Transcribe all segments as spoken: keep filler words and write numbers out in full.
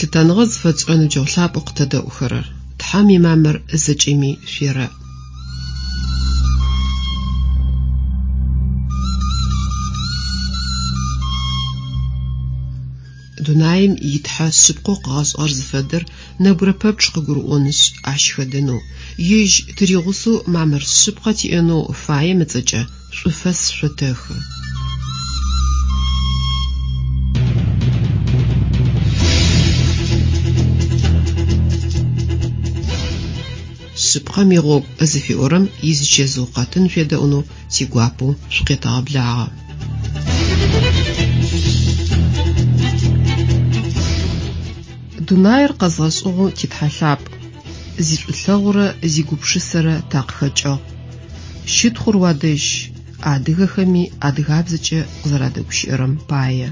Лъытэныгъэ зыфэтшӏырэ ныбджэгъу лъапӏэу къытэдэӏухэрэр, Тхьэм имамыр зэкӏэми шъуерэӏ. Дунаим итхьэ шъыпкъэу къыгъэшӏыгъэр зыфэдэр нэбгырэ пэпчъ къыгурыӏонышъ, ащ хэдэнэу, ежь тыригъусэу мамыр шъыпкъэ тиӏэнэу фаем ыцӏэкӏэ шӏуфэс шъотэхы. Шъыпкъэм игъогу зыфиӏорэм изычэзыу къэтын шъуедэӏунэу тигуапэу шъукъетэгъэблагъэ. Дунаир къэзгъэшӏыгъэу титхьэ лъапӏ, зишӏулъэгъурэ зигупшысэрэ такъыхэкӏыгъ. Щытхъур уадэжь, адыгэхэми адыгабзэкӏэ къызэрадэгущыӏэрэм пае.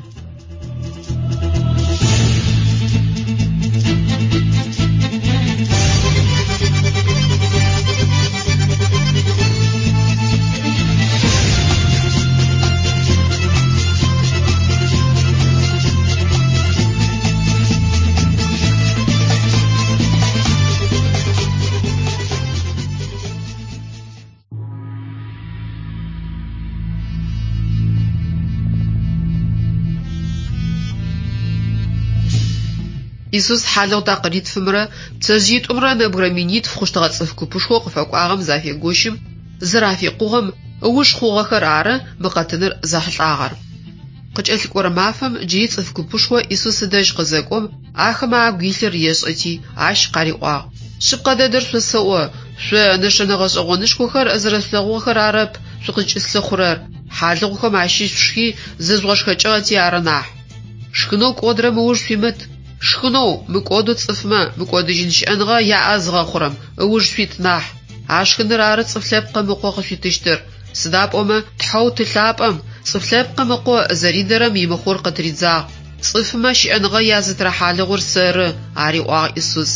Исус хьалыгъу такъыритфымрэ пцэжъыитӏумрэ нэбгырэ минитф хъущтыгъэ цӏыф купышхоу къыфэкӏуагъэм зафегощым, зырафикъугъэм ыуж хъугъэхэр ары мы къэтыныр зэхьылӏагъэр. Къыкӏэлъыкӏорэ мафэм джыри цӏыф купышхо Исус ыдэжь къызэкӏом, ахэмэ агу илъыр ешӏэти, ащ къариӏуагъ: Шъыпкъэ дэдэр шъосэӏо, шъо нэшэнэ гъэшӏэгъонышхохэр зэрэшъулъэгъугъэхэр арэп шъукъызкӏыслъыхъурэр, хьалыгъухэм ащыщ шъушхи зыжъугъэшхэкӏыгъэти ары нахь. Шхынэу кӏодырэм ыуж шъуимыт. Шхынэу мыкӏодэу цӏыфмэ мыкӏодыжьын щыӏэныгъэ яӏэ зыгъэхъурэм ыуж шъуит нахь. А шхыныр ары цӏыф лъэпкъым ыкъо къышъуитыщтыр. Сыда пӏомэ Тхьэу ты лъапӏэм цӏыф лъэпкъым ыкъо зэридэрэм имыхъур къытыридзагъ. Цӏыфмэ щыӏэныгъэ язытырэ хьалыгъур сэры, ариӏуагъ Исус.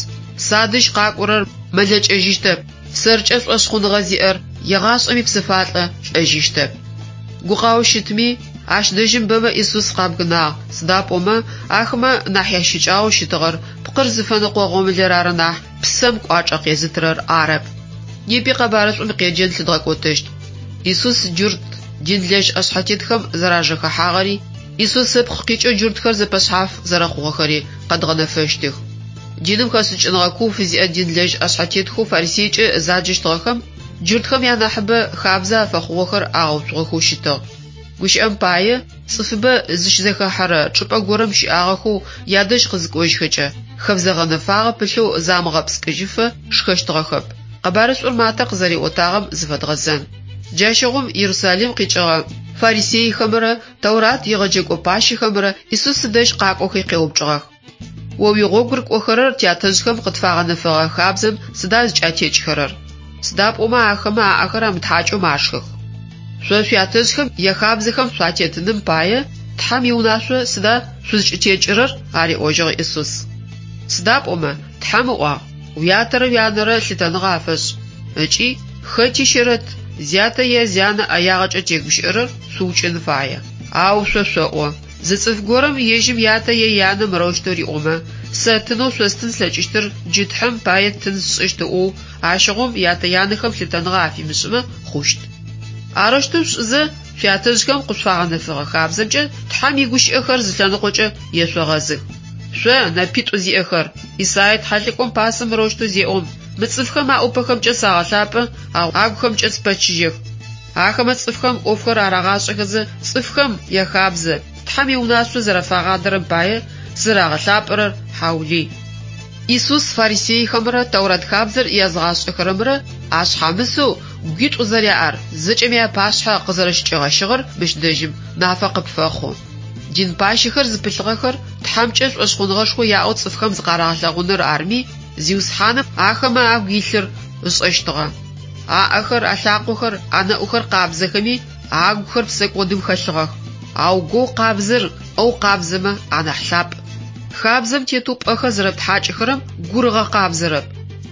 Садэжь къакӏорэр мэлэкӏэжьыщтэп, сэркӏэ шӏошъхъуныгъэ зиӏэр егъашӏэми псыфалӏэ лӏэжьыщтэп. Гукъао щытми, ащ дэжьым бэмэ Исус къабгынагъ, сыда пӏомэ ахэмэ нахь ящыкӏагъэу щытыгъэр пкъыр зыфэныкъо гъомылэр ары нахь псэм кӏуачӏэ къезытырэр арэп. Непи къэбарышӏум къеджэн лъыдгъэкӏотэщт. Исус джурт динлэжь ӏэшъхьэтетхэм зэражэхэхьагъэри, Исус ыпкъ къикӏэу джуртхэр зэпэшъхьаф зэрэхъугъэхэри къэдгъэнэфэщтых. Диным хэшӏыкӏыныгъэ куу фызиӏэ динлэжь ӏэшъхьэтетхэу фарисейкӏэ заджэщтыгъэхэм джуртхэм янахьыбэ хабзэ афэхъугъэхэр агъэуцугъэхэу щытыгъ. Гущыӏэм пае, цӏыфыбэ зыщызэхэхьэрэ чӏыпӏэ горэм щыӏагъэхэу ядэжь къызыкӏожьхэкӏэ, хэбзэ гъэнэфагъэ пылъэу замыгъэпскӏыжьыфэ шхэщтыгъэхэп. Къэбарышӏур Матэ къызэриӏотагъэм зыфэдгъэзэн. Джащыгъум Иерусалим къикӏыгъэ фарисейхэмрэ Тэурат егъэджэкӏо пащэхэмрэ Исус ыдэжь къакӏохи къеупчӏыгъэх: О уигъогу рыкӏохэрэр тятэжъхэм къытфагъэнэфэгъэ хабзэм сыда зыкӏатекӏхэрэр? Сыда пӏомэ ахэмэ аӏэхэр амытхьакӏэу машхэх. Шъо шъуятэжъхэм яхабзэхэм шъуатетыным пае Тхьэм иунашъо сыда шъузкӏытекӏырэр? Ариӏожьыгъ Исус. Сыда пӏомэ Тхьэм ыӏуагъ: Уятэрэ уянэрэ лъытэныгъэ афэшӏ. Ыкӏи хэти щэрэт, зятэ е зянэ ӏэягъэкӏэ тегущыӏэрэр шъуукӏын фае. Ау шъо шъоӏо: зы цӏыф горэм ежьым ятэ е янэ мырэущтэу риӏомэ, сэ тынэу шъостын слъэкӏыщтыр джы Тхьэм пае тын сшӏыщт ыӏоу, ащыгъум ятэ-янэхэм лъытэныгъэ афимышӏымэ хъущт. Арэущтэу шъушӏызэ, шъуятэжъхэм къышъуфагъэнэфэгъэ хабзэмкӏэ Тхьэм игущыӏэхэр зы лъэныкъокӏэ ешъогъэзых. Шъо нэпитӏу зиӏэхэр, Исаия тхьэлӏыкӏом пасэм мырэущтэу зеӏом: Мы цӏыфхэм аӏупэхэмкӏэ сагъэлъапӏэ, ау агухэмкӏэ спэчыжьэх. Ахэмэ цӏыфхэм ӏофхэр арагъашӏэхэзэ, цӏыфхэм яхабзэ, Тхьэм иунашъо зэрэфагъадэрэм пае зэрагъэлъапӏэрэр хьаулый. Исус фарисейхэмрэ Тэурат хабзэр языгъашӏэхэрэмрэ ашъхьамысэу гуитӏу зэряӏэр зэкӏэми апашъхьэ къызэрэщычӏигъэщыгъэр мыщ дэжьым нафэ къыпфэхъу. Дин пащэхэр зыпылъыгъэхэр Тхьэмкӏэ шӏошъхъуныгъэшхо яӏэу цӏыфхэм зыкъарагъэлъэгъуныр арми, Зиусхьаным ахэмэ агу илъыр ышӏэщтыгъэ. Аӏэхэр, алъакъохэр, анэӏухэр къабзэхэми, агухэр псэкӏодым хэлъыгъэх. Ау гоу къабзэр ӏэу къабзэмэ анахь лъапӏ. Хабзэм тетэу пӏэхэр зэрэптхьакӏыхэрэм гур ыгъэкъабзэрэп.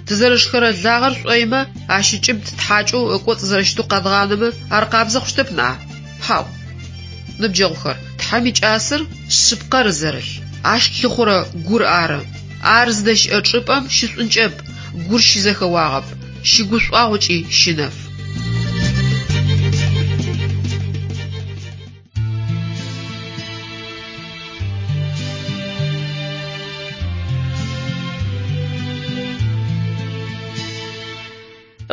Тызэрышхэрэ лагъэр шӏоимэ, ащ ыкӏыб ттхьакӏэу ыкӏоцӏ зэрэщытэу къэдгъанэмэ, ар къабзэ хъущтэп ныӏа? Хьау. Ныбджэгъухэр, Тхьэм икӏасэр шъыпкъэр зэрылъ. Ащ лъыхъурэ гур ары. Ар зыдэщыӏэ чӏыпӏэм щышӏункӏэп, гур щызэхэуагъэп, щыгушӏуагъу ыкӏи щынэф.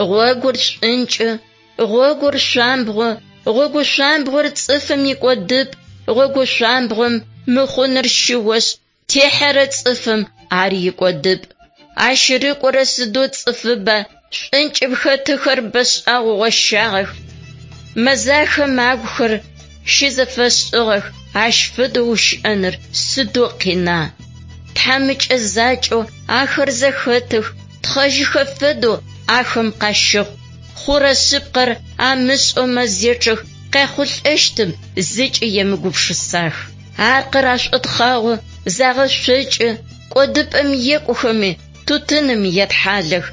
Гъогур шӏункӏы, гъогур шъуамбгъо, гъогу шъуамбгъор цӏыфым икӏодыпӏ, гъогу шъуамбгъом мыхъуныр щыошъ, техьэрэ цӏыфым ар икӏодыпӏ. Ащ рыкӏорэ сыдэу цӏыфыба, шӏункӏым хэтыхэр бэшӏагъэу гъощагъэх. Мэзахэм агухэр щызэфэшӏыгъэх, ащ фэдэу ущыӏэныр сыдэу къина. Тхьамыкӏэ закӏэу ахэр зэхэтых, тхъэжьыхэ фэдэу ахэм къащэхъу. Хъурэ шъыпкъэр амышӏэу мэзечъэх, къяхъулӏэщтым зыкӏи емыгупшысах. Аркъыр ашӏотхъагъо, загъэшъокӏы, кӏодыпӏэм екӏухэми тутыным етхьалэх.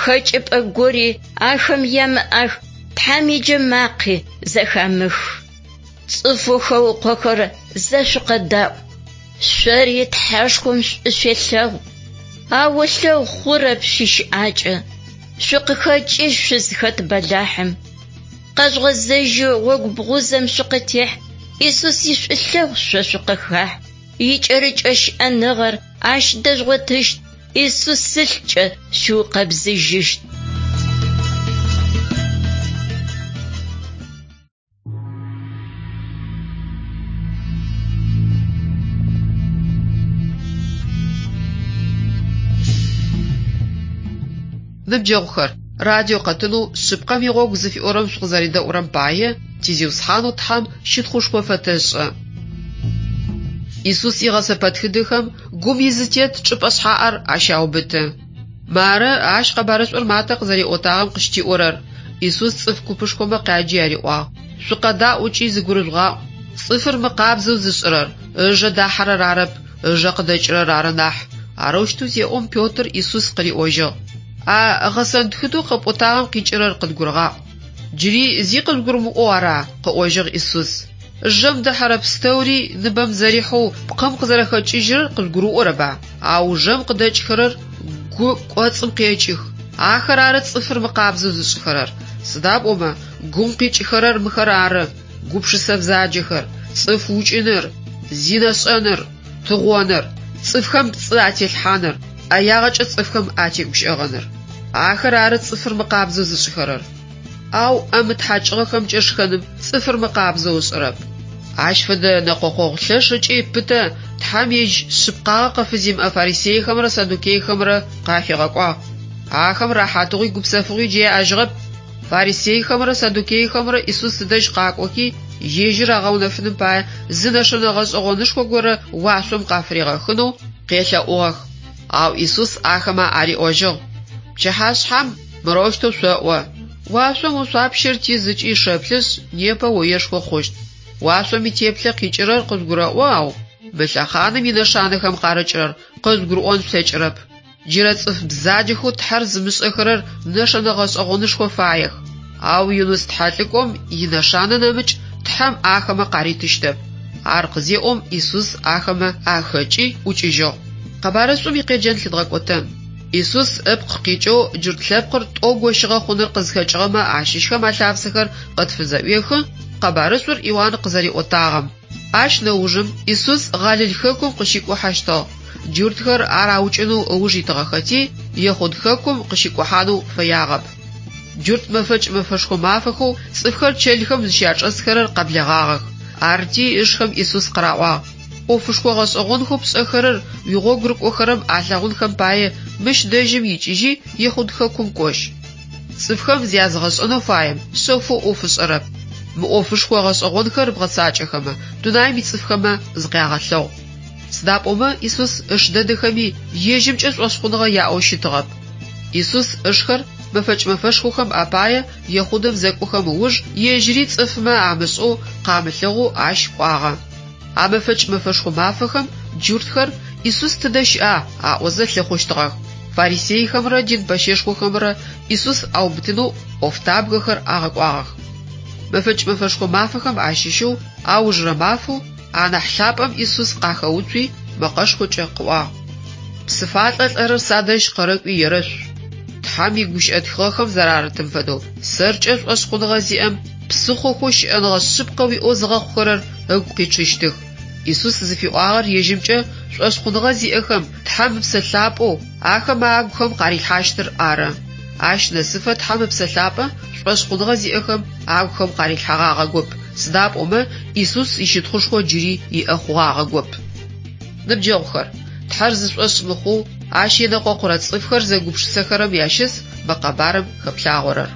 Хэкӏыпӏэ гори ахэм ямыӏэх, Тхьэм иджэмакъи зэхамых. Цӏыфэу хэукъохэр зэшъукъэдаӏу. Шъори Тхьэшхом шӏу шъуелъэгъу. Ау ылъэгъу хъурэп шъуищыӏакӏэ. Шъукъыхэкӏыжь шъузхэт бэлахьым. Къэжъугъэзэжьы гъогу бгъузэм шъукъытехь, Исус ишӏулъэгъу шъо шъукъыхахь. Икӏэрыкӏэ щыӏэныгъэр ащ дэжъугъотыщт, Исус ылъкӏэ шъуукъэбзыжьыщт. Ныбджэгъухэр, радио къэтынэу шъыпкъэм игъогу зыфиӏорэм шъукъызэредэӏурэм пае тизиусхьанэу Тхьэм щытхъушхо фэтэшӏы. Исус игъэсэпэтхыдэхэм гум изытет чӏыпӏэ шъхьаӏэр ащаубыты. Мары ащ къэбарышӏур Матэ къызэриӏотагъэм къыщытиӏорэр. Исус цӏыф купышхомэ къяджи ариӏуагъ: «Шъукъэдаӏу ыкӏи зыгурыжъугъаӏу. Цӏыфыр мыкъабзэу зышӏырэр ыжэ дахьэрэр арэп, ыжэ къыдэкӏырэр ары нахь». Арэущтэу зеӏом Петр Исус къыриӏожьыгъ: «А гъэсэнтхыдэу къэпӏотагъэм къикӏырэр къыдгурыгъаӏу». «Джыри зи къыжъугурымыӏоу ара?» къыӏожьыгъ Исус. «Жэм дэхьэрэ пстэури ныбэм зэрихьэу пкъым къызэрэхэкӏыжьырэр къыжъугурыӏорэба? Ау жэм къыдэкӏхэрэр гу кӏоцӏым къекӏых. Ахэр ары цӏыфыр мыкъабзэу зышӏыхэрэр. Сыда пӏомэ гум къикӏыхэрэр мыхэр ары: гупшысэ бзаджэхэр, цӏыф укӏыныр, зинэшӏэныр, тыгъоныр, цӏыфхэм пцӏы ателъхьаныр, ӏэягъэкӏэ цӏыфхэм атегущыӏэгъэныр. Ахэр ары цӏыфыр мыкъабзэу зышӏыхэрэр. Ау ӏэ мытхьакӏыгъэхэмкӏэ шхэным цӏыфыр мыкъабзэу ышӏырэп». Ащ фэдэ нэкъокъогъу лъэш ыкӏи пытэ Тхьэм ежь шъыпкъагъэ къыфызимыӏэ фарисейхэмрэ саддукейхэмрэ къафигъэкӏуагъ. Ахэм рэхьатыгъуи гупсэфыгъуи джы яӏэжьыгъэп. Фарисейхэмрэ саддукейхэмрэ Исус ыдэжь къакӏохи, ежьыр агъэунэфыным пае зы нэшэнэ гъэшӏэгъонышхо горэ уашъом къафыригъэхынэу къелъэӏугъэх. Ау Исус ахэмэ ариӏожьыгъ: «Пчыхьашъхьэм мырэущтэу шъоӏо: Уашъом ошъуапщэр тиз ыкӏи шэплъышъ, непэ оешхо хъущт. Уашъом итеплъэ къикӏырэр къыжъугурэӏо, ау мы лъэхъаным инэшанэхэм къарыкӏырэр къыжъугурыӏон шъулъэкӏырэп. Джырэ цӏыф бзаджэхэу Тхьэр зымышӏэхэрэр нэшэнэ гъэшӏэгъонышхо фаех. Ау Юныс тхьэлӏыкӏом инэшанэ нэмыкӏ Тхьэм ахэмэ къаритыщтэп». Ар къызеӏом Исус ахэмэ ахэкӏи ӏукӏыжьыгъ. Къэбарышӏум икъеджэн лъыдгъэкӏотэн. Исус ыпкъ къикӏэу джурт лъэпкъыр тӏоу гощыгъэ хъуныр къызхэкӏыгъэмэ ащыщхэм алъапсэхэр къытфызэӏуехы къэбарышӏур Иуан къызэриӏотагъэм. Ащ нэужым Исус Галил хэкум къыщикӏухьэщтыгъ. Джуртхэр ар аукӏынэу ыуж итыгъэхэти, Ехъуд хэкум къыщикӏухьанэу фэягъэп. Джурт мэфэкӏ мэфэшхо мафэхэу цӏыфхэр чэлхэм зыщячӏэсхэрэр къэблэгъагъэх. Арти ышхэм Исус къыраӏуагъ: «ӏофышхо гъэшӏэгъонхэу пшӏэхэрэр уигъогу рыкӏохэрэм алъэгъунхэм пае мыщ дэжьым икӏыжьи Ехъуд хэкум кӏожь». Цӏыфхэм зязыгъэшӏэнэу фаем шъэфэу ӏоф ышӏэрэп. Мы ӏофышхо гъэшӏэгъонхэр бгъэцакӏэхэмэ, дунаим ицӏыфхэмэ зыкъягъэлъэгъу. Сыда пӏомэ Исус ыш дэдэхэми ежьымкӏэ шӏошъхъуныгъэ яӏэу щытыгъэп. Исус ышхэр мэфэкӏ мэфэшхохэм апае Ехъудэм зэкӏохэм ыуж ежьыри цӏыфмэ амышӏэу къамылъэгъоу ащ кӏуагъэ. А мэфэкӏ мэфэшхо мафэхэм джуртхэр Исус тыдэ щыӏа аӏозэ лъыхъущтыгъэх. Фарисейхэмрэ дин пэщэшхохэмрэ Исус аубытынэу ӏофтабгэхэр агъэкӏуагъэх. Мэфэкӏ мэфэшхо мафэхэм ащыщэу аужырэ мафэу анахь лъапӏэм Исус къахэуцуи, мэкъэшхокӏэ къыӏуагъ: Псыфалӏэ лӏэрэр садэжь къэрэкӏуи ерэшъу. Тхьэм игущыӏэ тхыгъэхэм зэрарытым фэдэу, сэркӏэ шӏошъхъуныгъэ зиӏэм псыхъохэу щыӏэныгъэ шъыпкъэ уиӏэу зыгъэхъухэрэр ыгу къичъыщтых. Исус зыфиӏуагъэр ежьымкӏэ шӏошъхъуныгъэ зиӏэхэм Тхьэм Ыпсэ Лъапӏэу ахэм агухэм къарилъхьащтыр ары. Ащ нэсыфэ Тхьэм Ыпсэ Лъапӏэ шӏошъхъуныгъэ зиӏэхэм агухэм къарилъхьэгъагъэгоп, сыда пӏомэ Исус ищытхъушхо джыри иӏэ хъугъагъэгоп. Ныбджэгъухэр, Тхьэр зышӏошъ мыхъоу ащ енэкъокъурэ цӏыфхэр зэгупшысэхэрэм ящыс мы къэбарым хэплъагъорэр.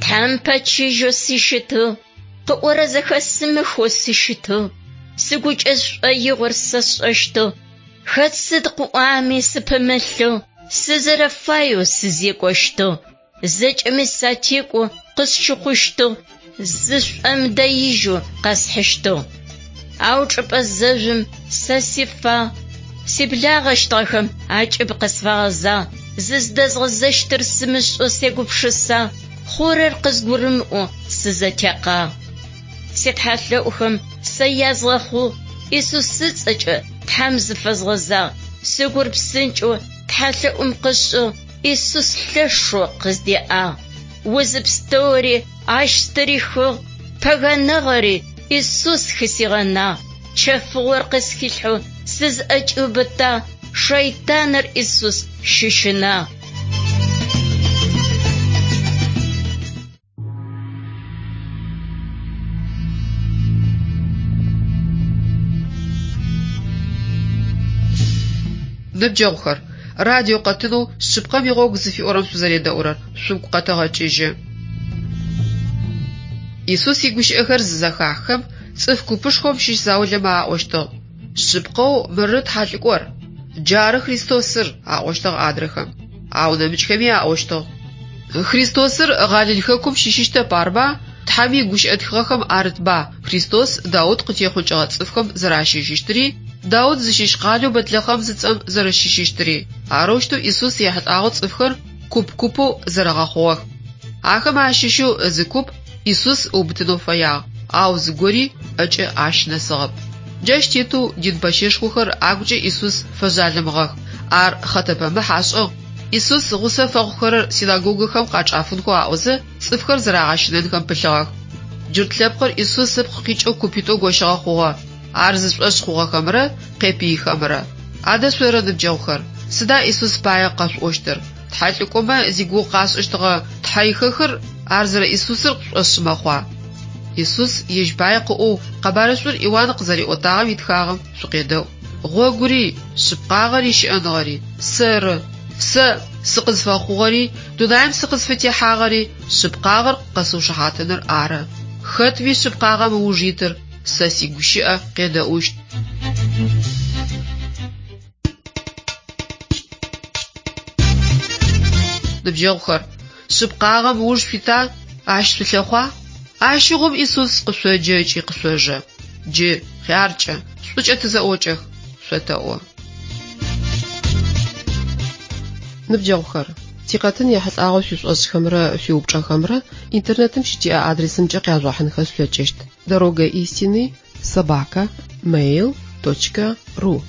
Тхьэм пэчыжьэу сыщытыгъ, къыӏорэ зэхэсымыхэу сыщытыгъ, сыгукӏэ сшӏоигъор сэ сшӏэщтыгъ, хэт сыд къыӏуами сыпымылъэу, сызэрэфаеу сызекӏощтыгъ, зэкӏэми сатекӏоу къысщыхъущтыгъ, зышӏомыдэижьэу къэсхьыщтыгъ. Ау чӏыпӏэ зэжъум сэ сифагъ, сиблагъэщтыгъэхэм акӏыб къысфагъэзагъ, зыздэзгъэзэщтыр сымышӏэу сегупшысагъ, хъурэр къызгурымыӏоу сызэтекъагъ. Ситхьэлъэӏухэм сэ язгъэхъугъ, Исус ыцӏэкӏэ Тхьэм зыфэзгъэзагъ, сыгур псынкӏэу тхьэлъэӏум къышӏыгъ, Исус лъэшэу къыздеӏагъ. Узы пстэури ащ стырихыгъ, пэгэныгъэри Исус хысигъэнагъ, чэфыгъор къысхилъхьэу сызӏэкӏиубытагъ, шэйтаныр Исус щыщынагъ. Ныбджэгъухэр, радио къэтынэу шъыпкъэм игъогу зыфиӏорэм шъузэредэӏурэр шъугу къэтэгъэкӏыжьы. Исус игущыӏэхэр зызэхаххэм, цӏыф купышхом щыщ заулэмэ аӏощтыгъ: Шъыпкъэу мыры тхьэлӏыкӏор, джары Христосыр, аӏощтыгъ адрэхэм. Ау нэмыкӏхэми аӏощтыгъ: Христосыр Галил хэкум щыщыщтэп арба? Тхьэм игущыӏэ тхыгъэхэм арытба Христос Даут къытехъукӏыгъэ цӏыфхэм зэращыщыщтыри, Даут зыщыщ къалэу Бэтлэхъэм зыцӏэм зэрэщыщыщтыри. Арэущтэу Исус ехьылӏагъэу цӏыфхэр куп-купэу зэрэгъэхъугъэх. Ахэм ащыщэу зы куп Исус ыубытынэу фэягъ, ау зыгори ӏэкӏэ ащ нэсыгъэп. Джащ тетэу дин пэщэшхохэр агукӏэ Исус фэжъалымыгъэх. Ар хъэтэпэмыхь ашӏыгъ. Исус гъусэ фэхъухэрэр синагогэхэм къачӏафынхэу аӏозэ цӏыфхэр зэрагъэщынэнхэм пылъыгъэх. Джурт лъэпкъыр Исус ыпкъ къикӏэу купитӏоу гощыгъэ хъугъэ. Ар зышӏошъ хъугъэхэмрэ къепыйхэмрэ. Адэ шъоры ныбджэгъухэр, сыда Исус пае къэшъуӏощтыр? Тхьэлӏыкӏомэ зигугъу къашӏыщтыгъэ тхьэихэхыр ар зэрэ Исусыр къышӏошъ мэхъуа? Исус ежь пае къыӏоу къэбарышӏур Иуан къызэриӏотагъэм итхагъэм шъукъедэӏу. Гъогури, шъыпкъагъэри щыӏэныгъэри сэры. Сэ сыкъызфэхъугъэри, дунаим сыкъызфытехьагъэри шъыпкъагъэр къэсыушыхьатыныр ары. Хэтми шъыпкъагъэм ыуж итыр сэ сигущыӏэ къедэӏущт. Ныбджэгъухэр, шъыпкъагъэм ыуж шъуита, ащ шъулъэхъуа? Ащыгъум Исус къышъоджэ ыкӏи къышъожэ. Джы хъяркӏэ, шӏукӏэ тызэӏокӏэх, шъотэӏо. Ныбджэгъухэр, тикъэтын ехьылӏагъэу шъуишӏошъхэмрэ шъуиупчӏэхэмрэ интернетым щытиӏэ адресымкӏэ къяжъугъэхьынхэ шъулъэкӏыщт: дорога истины собака mail точка ру.